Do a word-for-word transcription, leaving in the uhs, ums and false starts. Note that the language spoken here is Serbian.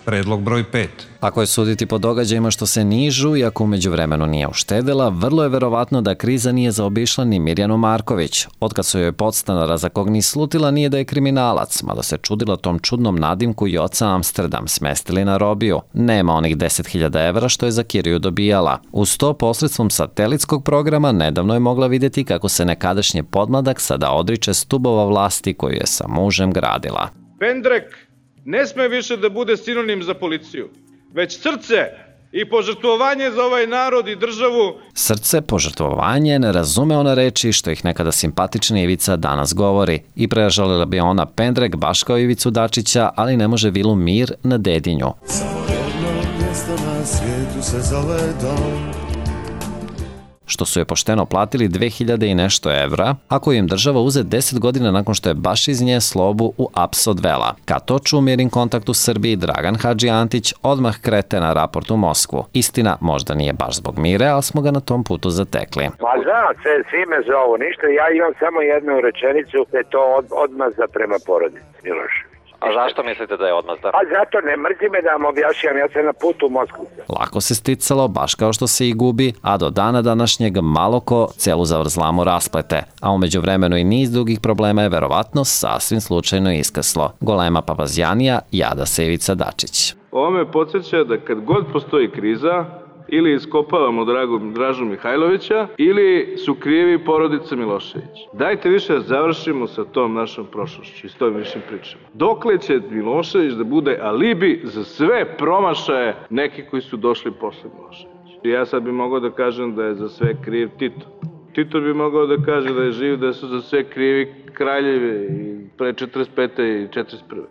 Predlog broj pet. Ako je suditi po događajima što se nižu i ako umeđu vremenu nije uštedela, vrlo je verovatno da kriza nije zaobišla ni Mirjanu Marković. Otkad su joj podstanara za kog ni slutila nije da je kriminalac, mada se čudila tom čudnom nadimku i oca Amsterdam smestili na robiju. Nema onih deset hiljada evra što je za kiriju dobijala. Uz to, posredstvom satelitskog programa, nedavno je mogla vidjeti kako se nekadašnji podmladak sada odriče stubova vlasti koju je sa mužem gradila. Pendrek ne sme više da bude sinonim za policiju, već srce i požrtvovanje za ovaj narod i državu. Srce, požrtvovanje, ne razume ona reči što ih nekada simpatična Ivica danas govori i prežalila bi ona Pendrek baš kao Ivicu Dačića, ali ne može vilu Mir na Dedinju. Samo jedno mjesto na svijetu se zove dom. Što su je pošteno platili dve hiljade i nešto evra, ako im država uze deset godina nakon što je baš iz nje slobu u aps odvela. Kad to ču Mirin kontakt u Srbiji, Dragan Hadži Antić odmah krete na raport u Moskvu. Istina, možda nije baš zbog Mire, ali smo ga na tom putu zatekli. Pa znam, svi me zovu, ništa, ja imam samo jednu rečenicu, da je to od, odmazda prema porodici, Milošević. A zašto mislite da je odmazda? A zato ne mrzi me da vam objašnjam, ja sam na putu u Moskvu. Lako se sticalo, baš kao što se i gubi, a do dana današnjeg malo ko celu zavrzlamu rasplete. A umeđu vremenu i niz drugih problema je verovatno sasvim slučajno iskrslo. Golema papazjanija, jada se Ivica Dačić. Ovo me podsjeća da kad god postoji kriza, ili iskopavamo Dragu, Dražu Mihajlovića, ili su krivi porodica Milošević. Dajte više da završimo sa tom našom prošlošću i s tom višim pričama. Dokle će Milošević da bude alibi za sve promašaje neki koji su došli posle Miloševića? Ja sad bi mogao da kažem da je za sve kriv Tito. Tito bi mogao da kaže da je živ, da su za sve krivi kraljevi i pre četrdeset pete i četrdeset prve